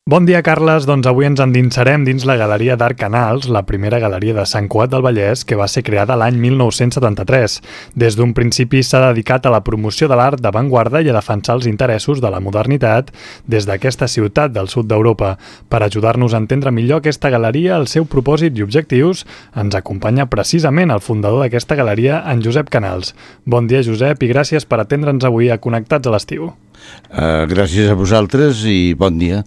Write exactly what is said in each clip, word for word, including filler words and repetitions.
Bon dia, Carles. Doncs avui ens endinsarem dins la Galeria d'Art Canals, la primera galeria de Sant Cugat del Vallès, que va ser creada l'any mil nou-cents setanta-tres. Des d'un principi s'ha dedicat a la promoció de l'art d'avantguarda i a defensar els interessos de la modernitat des d'aquesta ciutat del sud d'Europa. Per ajudar-nos a entendre millor aquesta galeria, el seu propòsit i objectius, ens acompanya precisament el fundador d'aquesta galeria, en Josep Canals. Bon dia, Josep, i gràcies per atendre'ns avui a Connectats a l'estiu. Uh, gràcies a vosaltres i bon dia.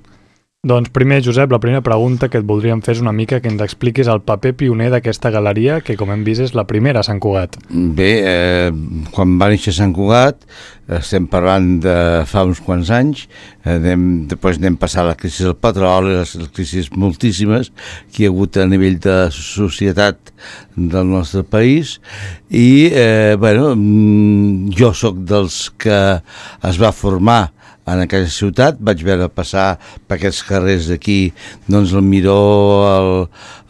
Doncs primer, Josep, la primera pregunta que et voldríem fer és una mica que ens expliquis el paper pioner d'aquesta galeria, que com hem vist és la primera a Sant Cugat. Bé, eh, quan va néixer Sant Cugat, estem parlant de fa uns quants anys, eh, anem, després anem passar la crisi del petroli, les, les crisis moltíssimes que hi ha hagut a nivell de societat del nostre país, i eh, bueno, jo sóc dels que es va formar en aquella ciutat. Vaig veure passar per aquests carrers d'aquí, doncs el Miró, el,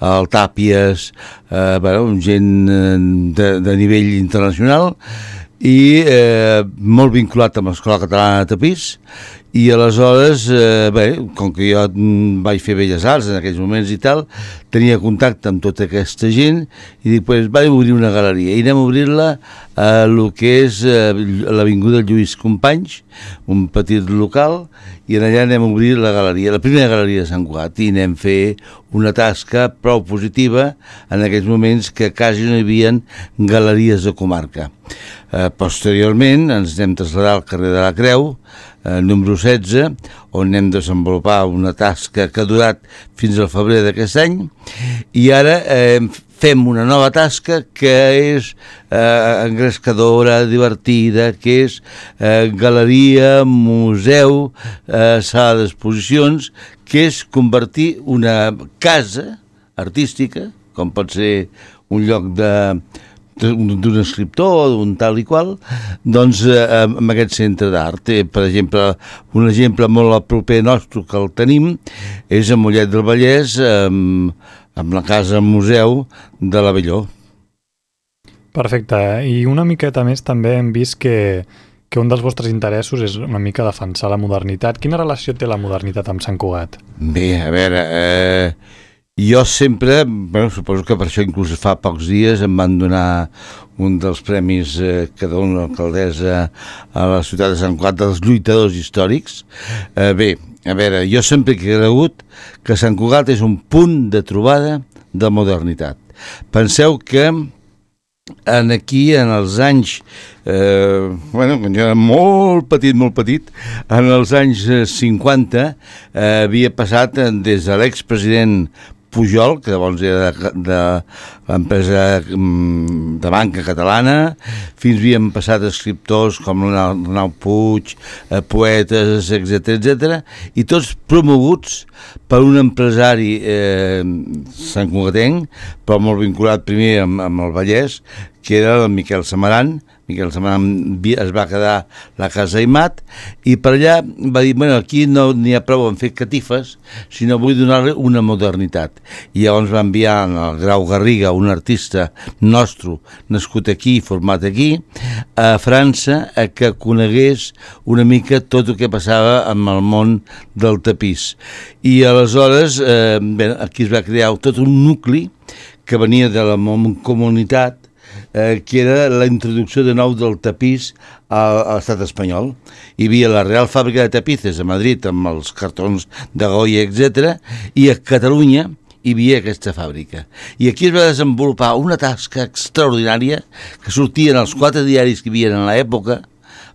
el Tàpies, eh, bueno, gent de, de nivell internacional, i eh, molt vinculat amb l'Escola Catalana de Tapís. I aleshores, eh, bé, com que jo vaig fer Belles Arts en aquells moments i tal, tenia contacte amb tota aquesta gent i dic, pues, vaig obrir una galeria i anem a obrir-la a el que és eh, l'avinguda Lluís Companys, un petit local, i en allà anem a obrir la galeria, la primera galeria de Sant Cugat, i anem a fer una tasca prou positiva en aquells moments que quasi no hi havia galeries de comarca. Eh, posteriorment ens anem a traslladar al carrer de la Creu, eh, número setze, on anem a desenvolupar una tasca que ha durat fins al febrer d'aquest any, i ara eh, fem una nova tasca que és eh, engrescadora, divertida, que és eh, galeria, museu, eh, sala d'exposicions, que és convertir una casa artística, com pot ser un lloc de d'un escriptor, d'un tal i qual, doncs eh, amb aquest centre d'art. Eh, per exemple, un exemple molt proper nostre que el tenim és a Mollet del Vallès, eh, amb la casa museu de l'Avelló. Perfecte, i una miqueta més també hem vist que, que un dels vostres interessos és una mica defensar la modernitat. Quina relació té la modernitat amb Sant Cugat? Bé, a veure, eh, jo sempre, bueno, suposo que per això inclús fa pocs dies em van donar un dels premis eh, que dona l'alcaldessa a la ciutat de Sant Cugat dels lluitadors històrics. Eh, bé, a veure, jo sempre he cregut que Sant Cugat és un punt de trobada de modernitat. Penseu que en aquí, en els anys, eh, bueno, quan jo era molt petit, molt petit, en els anys cinquanta, eh, havia passat des de l'expresident Pujol, que llavors era de, de l'empresa de banca catalana, fins havíem passat escriptors com l'Arnau Puig, eh, poetes, etcètera, etcètera, i tots promoguts per un empresari eh, santcugatenc, però molt vinculat primer amb, amb el Vallès, que era el Miquel Samaran. Miquel Samaran es va quedar la casa Aimat, i per allà va dir, bueno, aquí no n'hi ha prou en fer catifes, sinó vull donar-li una modernitat. I llavors va enviar el Grau Garriga, un artista nostre, nascut aquí, format aquí, a França, a que conegués una mica tot el que passava amb el món del tapís. I aleshores, eh, bé, aquí es va crear tot un nucli que venia de la comunitat, Eh, que era la introducció de nou del tapís a, a l'estat espanyol. Hi havia la Real Fàbrica de Tapices a Madrid amb els cartons de Goya, etcètera, i a Catalunya hi havia aquesta fàbrica. I aquí es va desenvolupar una tasca extraordinària que sortien els quatre diaris que hi havia en l'època,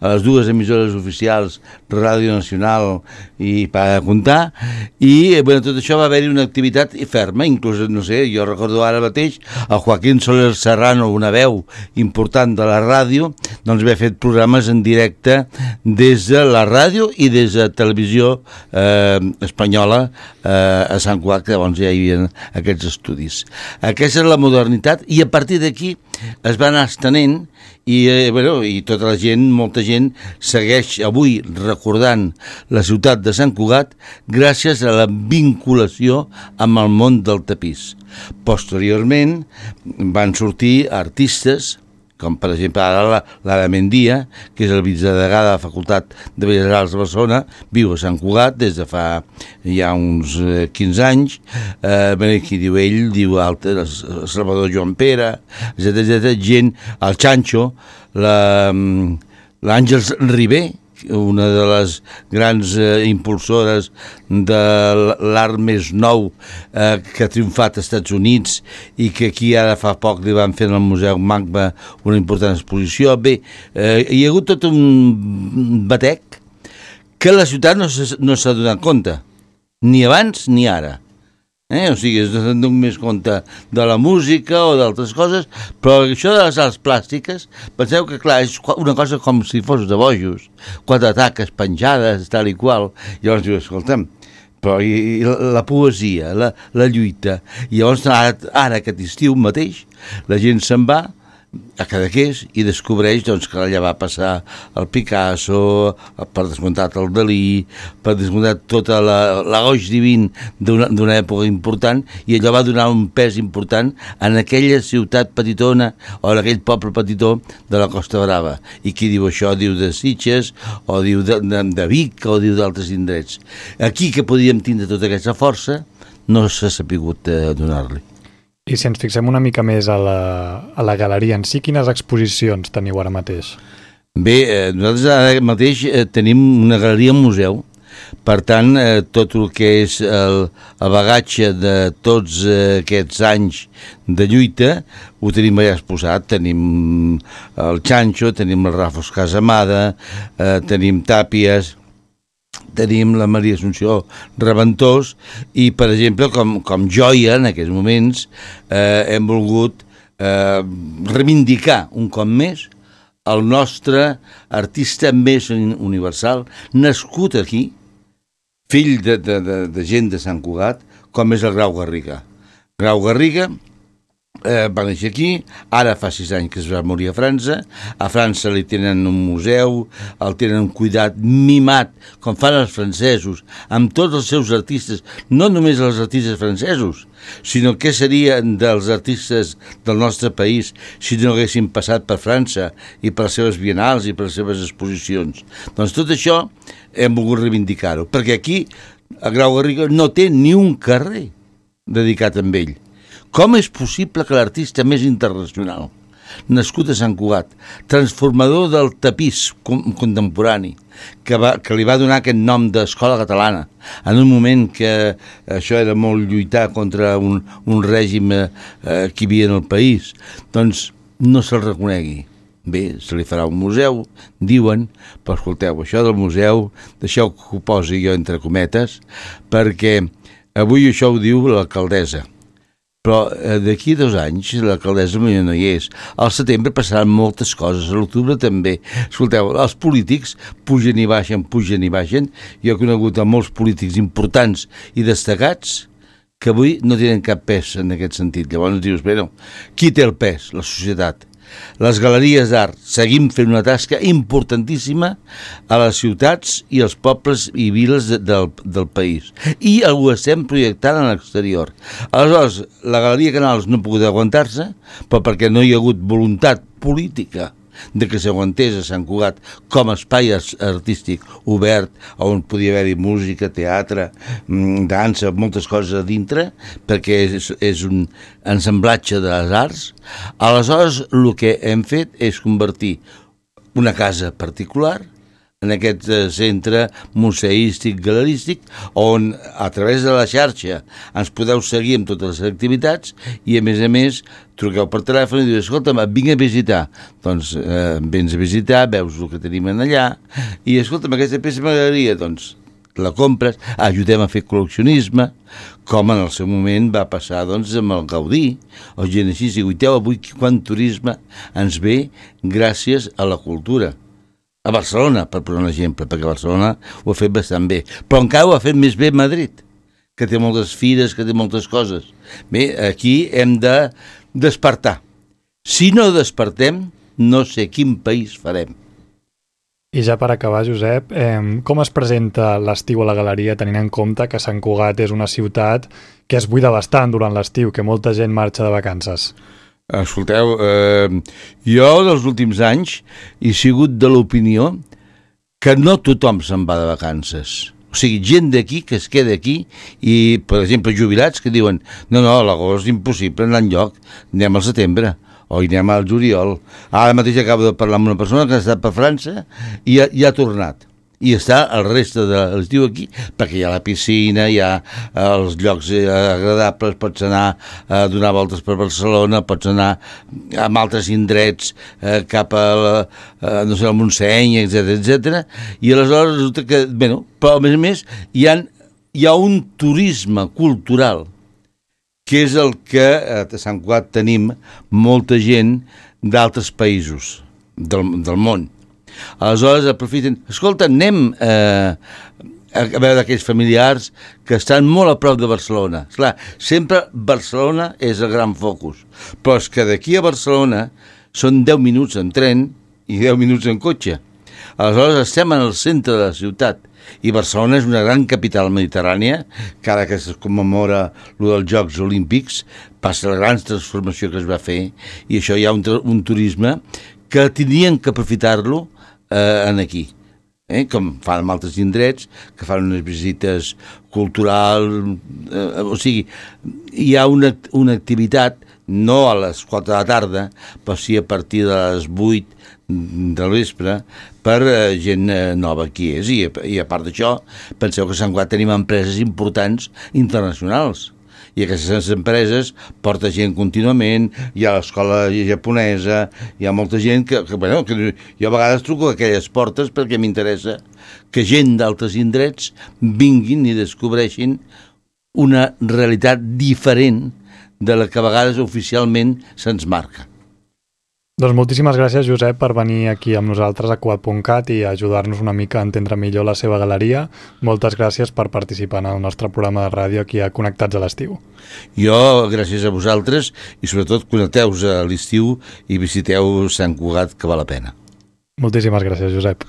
a les dues emissores oficials, Ràdio Nacional i Per a Contar, i bueno, tot això va haver-hi una activitat ferma, inclús, no sé, jo recordo ara mateix el Joaquín Soler Serrano, una veu important de la ràdio, doncs va fer programes en directe des de la ràdio i des de televisió eh, espanyola eh, a Sant Cugat, que llavors ja hi havia aquests estudis. Aquesta és la modernitat, i a partir d'aquí es va anar estenent, i, eh, bueno, i tota la gent, molta gent, segueix avui recordant la ciutat de Sant Cugat gràcies a la vinculació amb el món del tapís. Posteriorment van sortir artistes com per exemple ara l'Ara Mendia, que és el vicedegà de la Facultat de Belles Arts de Barcelona, viu a Sant Cugat des de fa ja uns quinze anys, eh, qui diu ell, diu altres, Salvador Joan Pere, etcètera, etcètera, gent, el Chancho, l'Àngels Ribé, una de les grans eh, impulsores de l'art més nou eh, que ha triomfat als Estats Units i que aquí ara fa poc li van fer al Museu Magma una important exposició. Bé, eh, hi ha hagut tot un batec que la ciutat no s'ha no s'ha donat compte, ni abans ni ara. Eh? O sigui, es donen més compte de la música o d'altres coses, però això de les arts plàstiques, penseu que, clar, és una cosa com si fos de bojos, quatre taques penjades, tal i qual, i llavors diu, escolta'm, però i, i la poesia, la, la lluita, i llavors ara, ara aquest estiu mateix, la gent se'n va a Cadaqués i descobreix doncs, que allà va passar el Picasso, per descomptat el Dalí, per descomptat tota la, la goix divin d'una època important, i allò va donar un pes important en aquella ciutat petitona o en aquell poble petitó de la Costa Brava. I qui diu això diu de Sitges o diu de, de, de Vic o diu d'altres indrets. Aquí que podíem tindre tota aquesta força no s'ha sapigut eh, donar-li. I si ens fixem una mica més a la, a la galeria en si, quines exposicions teniu ara mateix? Bé, eh, nosaltres ara mateix eh, tenim una galeria museu, per tant, eh, tot el que és el, el bagatge de tots eh, aquests anys de lluita ho tenim allà exposat. Tenim el Chancho, tenim el Rafos Casamada, eh, tenim Tàpies, tenim la Maria Assumpció Reventós i, per exemple, com, com joia en aquests moments eh, hem volgut eh, reivindicar un cop més el nostre artista més universal, nascut aquí, fill de, de, de, de gent de Sant Cugat, com és el Grau Garriga. Grau Garriga Eh, va néixer aquí, ara fa sis anys que es va morir a França. A França li tenen un museu, el tenen cuidat, mimat, com fan els francesos, amb tots els seus artistes, no només els artistes francesos, sinó què serien dels artistes del nostre país si no haguessin passat per França i per les seves bienals i per les seves exposicions. Doncs tot això hem volgut reivindicar-ho, perquè aquí a Grau Garriga no té ni un carrer dedicat a ell. Com és possible que l'artista més internacional, nascut a Sant Cugat, transformador del tapís contemporani, que, va, que li va donar aquest nom d'escola catalana, en un moment que això era molt lluitar contra un, un règim eh, que hi havia en el país, doncs no se'l reconegui. Bé, se li farà un museu, diuen, però escolteu, això del museu, deixeu que ho posi jo entre cometes, perquè avui això ho diu l'alcaldessa. Però eh, d'aquí a dos anys l'alcaldessa no hi és. Al setembre passaran moltes coses, a l'octubre també. Escolteu, els polítics pugen i baixen, pugen i baixen. Jo he conegut a molts polítics importants i destacats que avui no tenen cap pes en aquest sentit. Llavors dius, bé, no, qui té el pes? La societat. Les galeries d'art seguim fent una tasca importantíssima a les ciutats i als pobles i viles de, del, del país, i ho estem projectant a l'exterior. Aleshores, la Galeria Canals no ha pogut aguantar-se, però perquè no hi ha hagut voluntat política de que s'aguantés a Sant Cugat com a espai artístic obert on podia haver-hi música, teatre, dansa, moltes coses a dintre, perquè és, és un ensamblatge de les arts. Aleshores, el que hem fet és convertir una casa particular en aquest centre museístic, galerístic, on a través de la xarxa ens podeu seguir amb totes les activitats i, a més a més, truqueu per telèfon i diu, escolta'm, vinc a visitar. Doncs eh, vens a visitar, veus el que tenim allà, i escolta'm, aquesta peça m'agradaria, doncs la compres, ajudem a fer col·leccionisme, com en el seu moment va passar doncs, amb el Gaudí, o gent així, i guiteu, avui quant turisme ens ve gràcies a la cultura. A Barcelona, per posar un exemple, perquè Barcelona ho ha fet bastant bé, però encara ho ha fet més bé Madrid, que té moltes fires, que té moltes coses. Bé, aquí hem de despertar. Si no despertem, no sé quin país farem. I ja per acabar, Josep, eh, com es presenta l'estiu a la galeria tenint en compte que Sant Cugat és una ciutat que es buida bastant durant l'estiu, que molta gent marxa de vacances? Escolteu, eh, jo dels últims anys he sigut de l'opinió que no tothom se'n va de vacances. O sigui, gent d'aquí que es queda aquí i, per exemple, jubilats que diuen no, no, a l'agost és impossible anar enlloc, anem al setembre o hi anem al juliol. Ara mateix acabo de parlar amb una persona que ha estat per França i ha, i ha tornat. I està el reste de l'estiu aquí, perquè hi ha la piscina, hi ha els llocs agradables, pots anar a donar voltes per Barcelona, pots anar a altres indrets eh, cap a la, eh, no sé, al Montseny, etcètera, etcètera. I aleshores resulta que, bueno, però a més a més hi ha, hi ha un turisme cultural que és el que a Sant Cugat tenim molta gent d'altres països del, del món. Aleshores aprofiten, escolta, anem eh, a veure d'aquells familiars que estan molt a prop de Barcelona. Esclar, sempre Barcelona és el gran focus, però és que d'aquí a Barcelona són deu minuts en tren i deu minuts en cotxe. Aleshores estem en el centre de la ciutat i Barcelona és una gran capital mediterrània, que ara que es commemora lo dels Jocs Olímpics passa la gran transformació que es va fer i això hi ha un, un turisme que tindrien que aprofitar-lo Eh, en aquí, eh? com fan en altres indrets, que fan unes visites culturals, eh, o sigui, hi ha una, una activitat, no a les quatre de la tarda, però sí a partir de les vuit del vespre, per eh, gent eh, nova qui és, i, i a part d'això, penseu que a Sant Cugat tenim empreses importants internacionals, i aquestes empreses porta gent contínuament, hi ha l'escola japonesa, hi ha molta gent que, que, bueno, que jo a vegades truco a aquelles portes perquè m'interessa que gent d'altres indrets vinguin i descobreixin una realitat diferent de la que a vegades oficialment se'ns marca. Doncs moltíssimes gràcies, Josep, per venir aquí amb nosaltres a Cugat punt cat i ajudar-nos una mica a entendre millor la seva galeria. Moltes gràcies per participar en el nostre programa de ràdio aquí a Connectats a l'estiu. Jo, gràcies a vosaltres, i sobretot connecteu-vos a l'estiu i visiteu Sant Cugat, que val la pena. Moltíssimes gràcies, Josep.